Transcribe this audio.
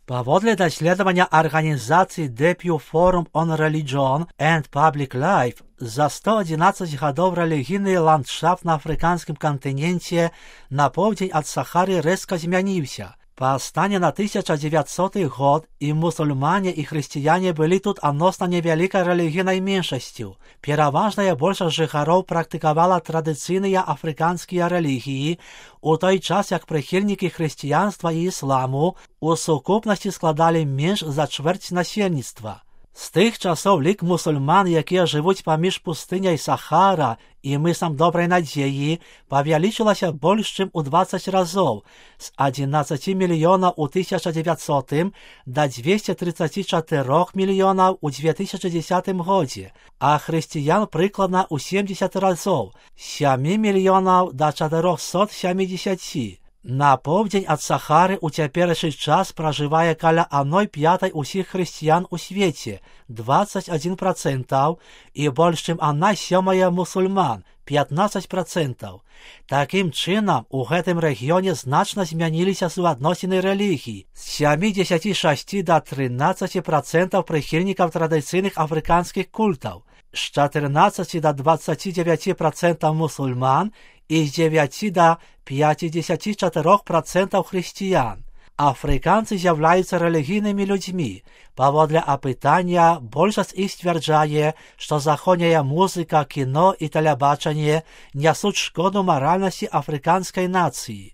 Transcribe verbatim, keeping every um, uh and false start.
Паводле даследавання арганізацыі The Pew Forum on Religion and Public Life, за сто адзінаццаць гадоў рэлігійны ландшафт на афрыканскім кантыненце на поўдзень ад Сахары рэзка змяніўся. Паўстане на тысяча дзевяцьсоты год і мусульмане і хрысціяне былі тут адносна невялікай рэлігійнай меншасцю. Пераважная большасць жыхароў практыкавала традыцыйныя афрыканскія рэлігіі, у той час як прыхільнікі хрысціянства і ісламу у сукупнасці складалі менш за чвэрць насельніцтва. З тых часоў лік мусульман, якія жывуць паміж пустыняй Сахара і мысам Добрай Надзеі, павялічылася больш чым у дваццаць разоў, з адзінаццаці мільёнаў у тысяча дзевяцьсотым да дзвесце трыццаці чатырох мільёнаў у дзве тысячы дзесятым годзе, а хрысціян прыкладна ў семдзесят разоў, з сямі мільёнаў да чатырохсот сямідзесяці. На поўдзень ад Сахары ў цяперашні час пражывае каля адной пятай усіх хрысціян у свеце, дваццаць адзін працэнтаў, і больш чым адна сёмая мусульман, пятнаццаць працэнтаў. Такім чынам, у гэтым рэгіёне значна змяніліся суадносіны рэлігій, з сямідзесяці шасці да трынаццаці працэнтаў прыхільнікаў традыцыйных афрыканскіх культаў, з чатырнаццаці да дваццаці дзевяці працэнтаў мусульман і з дзевяці да пяцідзесяці чатырох працэнтаў хрысціян. Афрыканцы з'яўляюцца рэлігійнымі людзьмі. Паводле апытання, большасць іх сцвярджае, што заходняя музыка, кіно і тэлебачанне нясуць шкоду маральнасці афрыканскай нацыі.